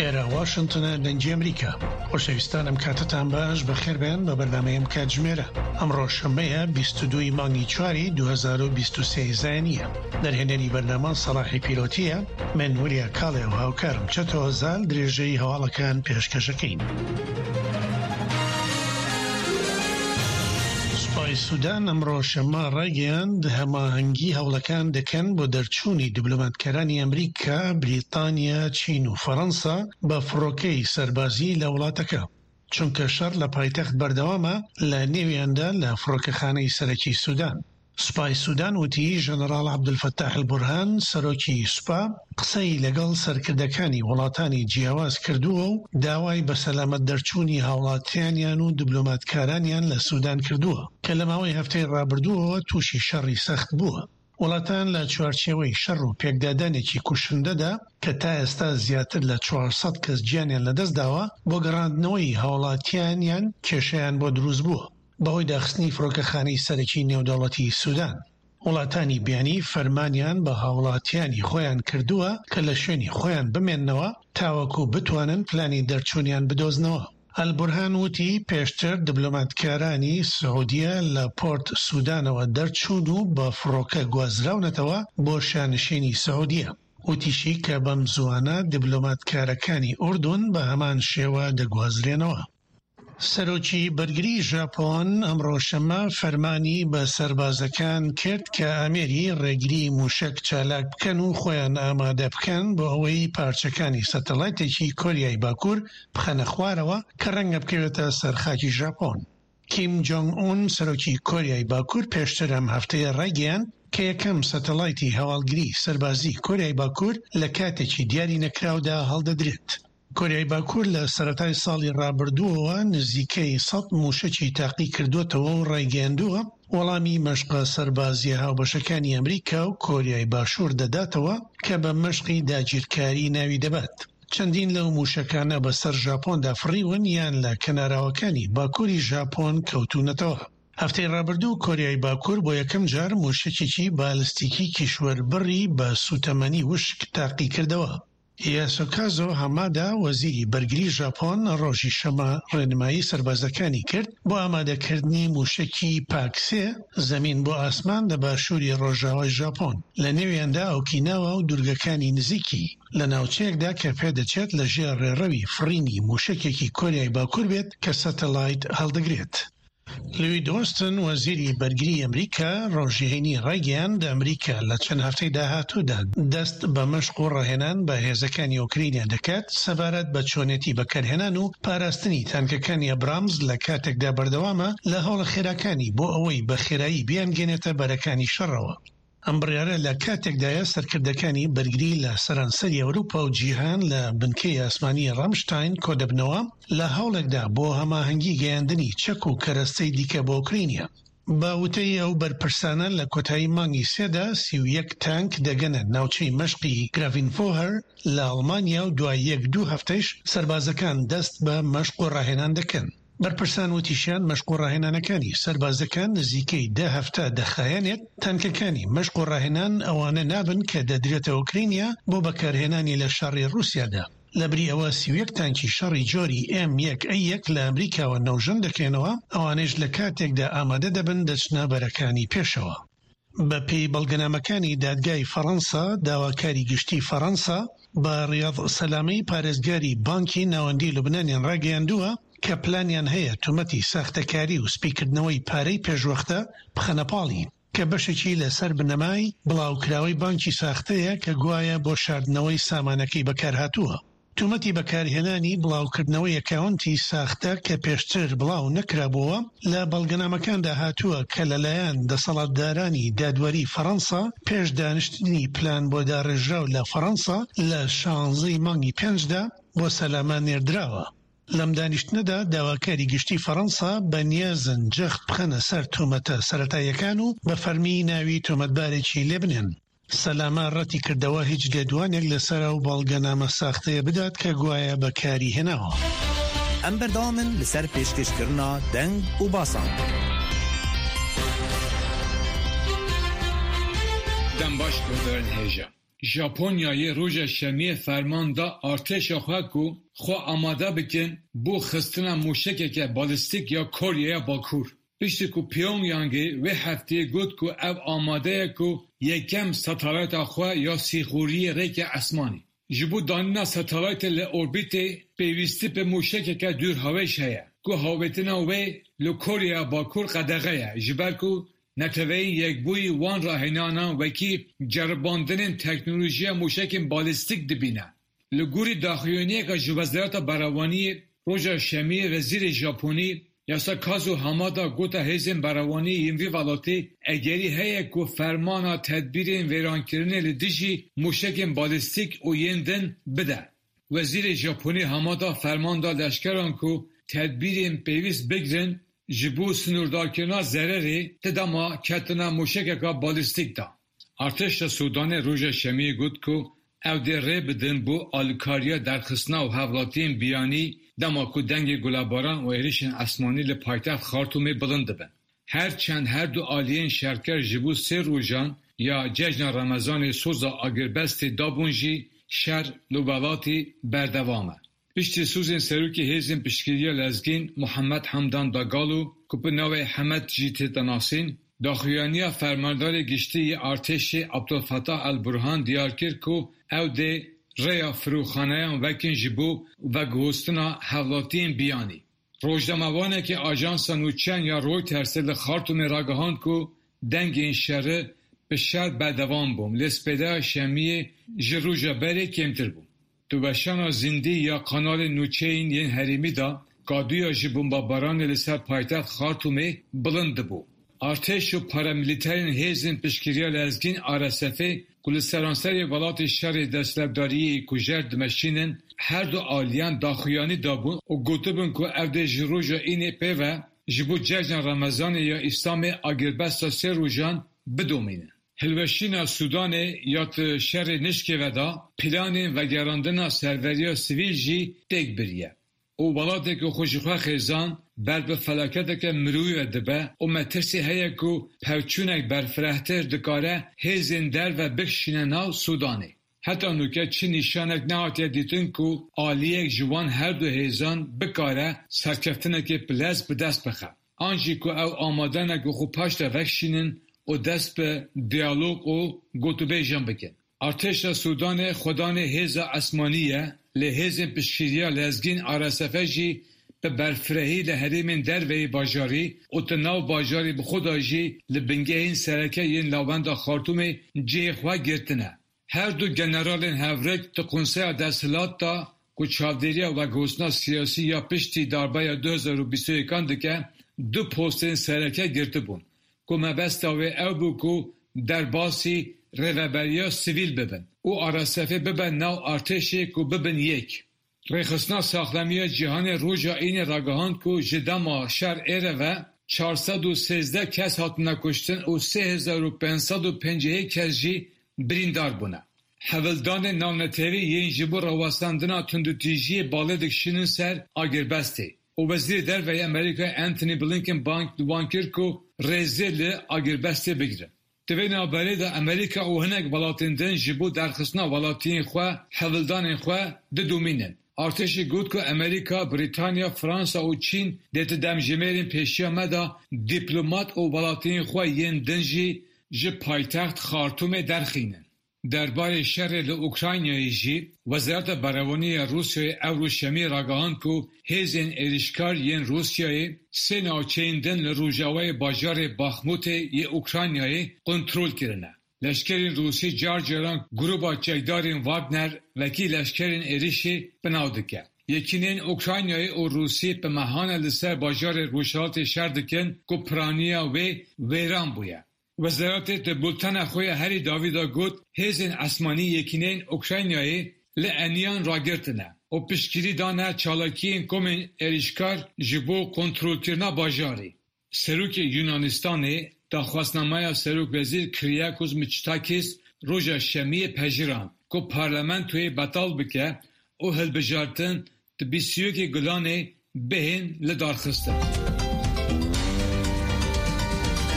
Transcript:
ئێرە واشنتنە دەنگی ئەمریکا. خۆشەویستان ئەم کاتەتان باش بەخێربێن بە بەرنامەی ئەم کاتژمێرە. ئەمڕۆ شەممەیە 22 ی مانگی چواری 2023 زایەنییە. دەرهێنەری بەرنامە سەڵاحی پیرۆتییە، من وریا کاڵێ و هاوکارم چەتۆ زال درێژەی هەواڵەکان پێشکەشەکەین. سوپای سودان ئەمڕۆ شەممە ڕایگەیاند، هەماهەنگی هەوڵەکان دەکەن بۆ دەرچوونی دیبلۆماتکارانی ئەمریکا، بریتانیا، چین و فەڕەنسا بە فڕۆکەی سەربازی لە وڵاتەکە، چونکە شەڕ لە پایتەخت بەردەوامە، لە نێویاندا لە فڕۆکەخانەی سەرەکی سودان. سوپای سودان وتی، ژەنەڕاڵ عەبدولفەتاح ئەلبورهان، سەرۆکی سوپا، قسەی لەگەڵ سەرکردەکانی وڵاتانی جیاواز کردووە و داوای بە سەلامەت دەرچوونی هاوڵاتیانیان و دبلۆماتکارانیان لە سودان کردووە کە لە ماوەی هەفتەی ڕابردووەوە تووشی شەڕی سەخت بووە. وڵاتان لە چوارچێوەی شەڕ و پێکدادانێکی کوشندەدا کە تا ئێستا زیاتر لە 400 کەس گیانیان لەدەستداوە، بۆ گەڕاندنەوەی هاوڵاتیانیان کێشەیان بۆ دروستبووە. بەهۆی داخستنی فڕۆکەخانەی سەرەکی نێودەوڵەتی سودان، وڵاتانی بیانی فەرمانیان بە هاوڵاتیانی خۆیان کردووە کە لە شوێنی خۆیان بمێننەوە تاوەکو بتوانن پلانی دەرچوونیان بدۆزنەوە. ئەلبورهان وتی، پێشتر دبلۆماتکارانی سعودیە لە پۆرت سودانەوە دەرچوون و بە فڕۆکە گوازراونەتەوە بۆ شانشینی سعودیە. وتیشی کە بەم زووانە دبلۆماتکارەکانی ئوردون بە هەمان شێوە دەگوازرێنەوە. سەرۆکی بەرگری ژاپۆن ئەمڕۆ شەممە فەرمانی بە سەربازەکان کرد کە ئامێری ڕێگری موشەک چالاک بکەن و خۆیان ئامادە بکەن بۆ ئەوەی پارچەکانی سەتەلایتێکی کۆریای باکوور بخەنە خوارەوە کە ڕەنگە بکەوێتە سەر خاکی ژاپۆن. کیم جۆنگ ئون سەرۆکی کۆریای باکوور پێشتر ئەم هەفتەیە ڕایگەیاند کە یەکەم سەتەلایتی هەواڵگری سەربازی کۆریای باکوور لە کاتێکی دیاری نەکراودا هەڵدەدرێت. کۆریای باکوور لە سەرەتای ساڵی ڕابردووەوە نزیکەی سەت مووشەکی تاقیکردووەتەوە و ڕایگەیاندووە، وەڵامی مەشقە سەربازییە هاوبەشەکانی ئەمریکا و کۆریای باشوور دەداتەوە کە بە مەشقی داگیرکاری ناوی دەبات. چەندین لەو مووشەکانە بەسەر ژاپۆندا فڕیون یان لە کەناراوەکانی باکووری ژاپۆن کەوتوونەتەوە. هەفتەی ڕابردوو کۆریای باکوور بۆ یەکەم جار مووشەکێکی بالستیکی کیشوەربڕی بە سووتەمەنی وشک تاقیکردەوە. یاسۆکازۆ هامادا، وەزیری بەرگری ژاپۆن ڕۆژی شەممە ڕێنمایی سەربازەکانی کرد بۆ ئامادەکردنی مووشەکی پاک سێ زەمین بۆ ئاسمان لە باشووری ڕۆژاوای ژاپۆن، لە نێویاندا ئۆکیناوا و دوورگەکانی نزیکی، لە ناوچەیەکدا کە پێدەچێت لە ژێر ڕێڕەوی فڕینی مووشەکێکی کۆریای باکوور بێت کە سەتەلایت هەڵدەگرێت. لوید ئۆستن، وەزیری بەرگری ئەمریکا ڕۆژی هەینی ڕایگەیاند، ئەمریکا لە چەند هەفتەی داهاتوودا دەست بە مەشق و ڕاهێنان بە هێزەکانی ئۆکرینیا دەکات سەبارەت بە چۆنێتی بەکارهێنان و پاراستنی تانکەکانی ئەبرامز لە کاتێکدا بەردەوامە لە هەوڵە خێراکانی بۆ ئەوەی بە خێرایی بیانگەنێتە بەرەکانی شەڕەوە. ئەم بڕیارە لە کاتێکدایە سەرکردەکانی بەرگری لە سەرانسەری ئەوروپا و جیهان لە بنکەی ئاسمانی ڕامشتاین کۆدەبنەوە لە هەوڵێکدا بۆ هەماهەنگی گەیاندنی چەک و کەرەستەی دیکە بۆ ئۆکرینیا. بە وتەی ئەو بەرپرسانە لە کۆتایی مانگی سێدا 31 تانک دەگەنە ناوچەی مەشقی گراڤینفۆهەر لە ئەڵمانیا و دوای یەک دوو هەفتەیش سەربازەکان دەست بە مەشق و ڕاهێنان دەکەن. بەرپرسان وتیشیان، مەشق و ڕاهێنانەکانی سەربازەکان نزیکەی دە هەفتە دەخایەنێت، تانکەکانی مەشق و ڕاهێنان ئەوانە نابن کە دەدرێتە ئۆکرینیا بۆ بەکارهێنانی لە شەڕی ڕووسیادا، لەبری ئەوە 31 تانکی شەڕی جۆری ئێم یەک ئەی یەک لە ئەمریکاوە نەوژەن دەکرێنەوە، ئەوانەیش لە کاتێکدا ئامادە دەبن دەچنە بەرەکانی پێشەوە. بەپێی بەڵگەنامەکانی دادگای فەڕەنسا، داواکاری گشتی فەڕەنسا بە ڕیاض سەلامەی پارێزگاری بانکی ناوەندی لوبنانیان ڕاگەیاندووە کە پلانیان هەیە تومەتی ساختەکاری و سپیکردنەوەی پارەی پێشوەختە بخەنە پاڵی، کە بەشێکی لەسەر بنەمای بڵاوکراوەی بانکی ساختەیە کە گوایە بۆ شاردنەوەی سامانەکەی بەکارهاتووە. تۆمەتی بەکارهێنانی بڵاوکردنەوەی ئەکاونتی ساختە کە پێشتر بڵاو نەکرابۆوە، لە بەڵگەنامەکاندا هاتووە کە لەلایەن دەسەڵاتدارانی دادوەری فەڕەنسا پێش دانیشتنی پلان بۆ داڕێژراو لە فەڕەنسا لە شانزەی مانگی پێنجدا بۆ سەلامە نێردراوە. لەم دانیشتنەدا داواکاری گشتی فەڕەنسا بەنیازن جەخت بخەنە سەر تۆمەتە سەرەتاییەکان و بە فەرمی ناوی تۆمەتبارێکی لێبنێن. سەلامە ڕەتی کردەوە هیچ لێدوانێک لەسەر ئەو بەڵگەنامە ساختەیە بدات کە گوایە بەکاری هێناوە. ئەم بەردەوامن لەسەر پێشکێشکردنا دەنگ و باسان. دەم باش guhdarên hêja. Japonyayê roja Şemiyê ferman da artêşa xwe ku xwe amade bikin bo xistina mûşekeke balîstîk ya Koreya Bakur. Piştî ku Pyongyangê wê hefteyê got ku ew amade ye ku yekem satelayta xwe ya sîxuriyê rêke esmanî. Ji bo danîna satelaytê li orbîtê pêwîstî bi mûşekeke dûrhawêj heye ku hawêtina wê li Koreya Bakur qedexe ye ji ber ku Neteweyên Yekbûyî wan rahênanan wekî ceribandinên teknolojiya mûşekên balîstîk dibîne. Li gorî daxuyaniyeke ji Wezareta Berevaniyê roja Şemiyê Wezîrê Japonî Yasakazu Hamada gote hêzên berevaniyê yên vî welatî egerî heye ku fermana tedbîrên wêrankirinê li dijî mûşekên balîstîk û yên din bide. Wezîrê Japonî Hamada ferman da leşkeran ku tedbîrên pêwîst bigirin ji bo sinûrdarkirina zererê di dema ketina mûşekeke balîstîk de. Artêşa Sûdanê roja Şemiyê got ku ew dê rê bidin bo alîkariya derxistina û hevlatiyên biyanî dema ku dengê gulebaran û êrişên esmanî li paytext Xartûmê bilind dibin. Her çend her du aliyên şerker ji bo sê rojan ya cejna Remezanê soza agirbestê dabûn jî şer li welatî berdewam e. Piştî sozên Serokê Hêzên Piştgiriya Lezgîn Muhammed Hamdan Dagalo ku bi navê Hemed jî tête nasîn, daxuyaniya Fermandarê Giştî yê Artêşê Abdulfetah El Burhan diyar kir ku ew dê rêya firokxaneyan vekin ji bo veguhostina hevlatiyên biyanî. Rojnamevanekî ajansa nûçeyan ya Reutersê li Xartûmê ragihand ku dengên şeri bi şer berdewam bûn lê spêdeya şemiyê ji roja berê kêmtir bû. Di weşana zindî ya kanalên nûçeyên yên herêmî de kadûya ji bombebaranê li ser paytext Xartûmê bilind dibû. Artêş û paramîlîterên Hêzên Piştgiriya Lezgîn, RSF, ku li seranserê welatê şerê desthilatdariyê kujer dimeşînin, her du aliyan daxuyanî dabûn û gotibûn ku ew dê ji roja Înê pê ve ji bo Cejna Remezanê ya Îslamê agirbesta sê rojan bidomînin. Hilweşîna Sûdanê ya di şerê nişkê ve de planên vegerandina serveriya sivîl jî têk biriye û welatê ku xwe ji xwe xêzan ber bi felaketeke mirovî ve dibe û metirsî heye ku pevçûnek berfirehtir dikare hêzên derve bikişîne nav Sûdanê. Heta nûke çi nîşanek nehatiye dîtin ku aliyek ji wan her du hêzan bikare serkeftinekê bi lez bi dest bixe. An jî ku ew amade ne ku xwe paş de vekişînin û dest bi diyalog û gotûbêjan bikin. Artêşa Sûdanê xwedanê hêza esmanî ye, lê hêzên piştgiriya lezgîn RSF jî bi berfirehî li herêmên derveyî bajarî û di nav bajarî bi xwe de jî li bingehên sereke yên navenda Xartûmê cihê xwe girtine. Her du generalên hevrik di Konseya Desthilat de ku çavdêriya veguhestina siyasî ya piştî darbeya 2021 an dike, du postên sereke girtibûn ku mebesta wê ew bû ku derbasî rêveberiya sivîl bibin û RSFê bibe nav artêşê ku bibin yek. Rêxistina Saxlemiya Cîhanê roja Înê ragihand ku ji dema şer êre ve 413 kes hatine kuştin û 3551 kes jî birîndar bûne. Hewldanên navnetewî yên ji bo rawestandina tundûtîjiyê balê dikişînin ser agirbestê û Wezîrê Derve yê Amerîkayê Antony Blinken bang li wan kir ku rêzê li agirbestê bigirin. Di vê navberê de Amerîka û hinek welatên din ji bo derxistina welatiyên xwe hewldanên xwe didomînin. Artêşê got ku Amerîka, Brîtanya, Fransa û Çîn dê di demjimêrên pêşiya me de dîplomat û welatiyên xwe yên din jî ji paytext Xartûmê derxînin. Derbarê şerê li Ukraynayê jî Wezareta Berevaniyê ya Rûsyayê ewro Şemiyê ragihand ku hêzên êrişkar yên Rûsyayê sê navçeyên din li rojavayê bajarê Baxmûtê yê Ukraynayê kontrol kirine. Leşkerên Rûsî car caran grûpa çekdarên Wagner wekî leşkerên êrişê binav dike. Yekîneyên Ukraynayê û Rûsî bi mehan e li ser bajarê Rojhilatê şer dikin ku piraniya wê wêran bûye. Wezaretê di bultena xwe ya herî dawî de got, hêzên esmanî yekîneyên Ukraynayê li eniyan ragirtine û piştgirî dane çalakiyên komên êrişkar ji bo kontrolkirina bajarî. Serokê Yunanistanê daxwaznameya Serokwezîr Kyriakos Mitsotakis roja Şemiyê pejirand ku parlamentoyê betal bike û hilbijartin di 21 Gulanê bihên lidarxistin.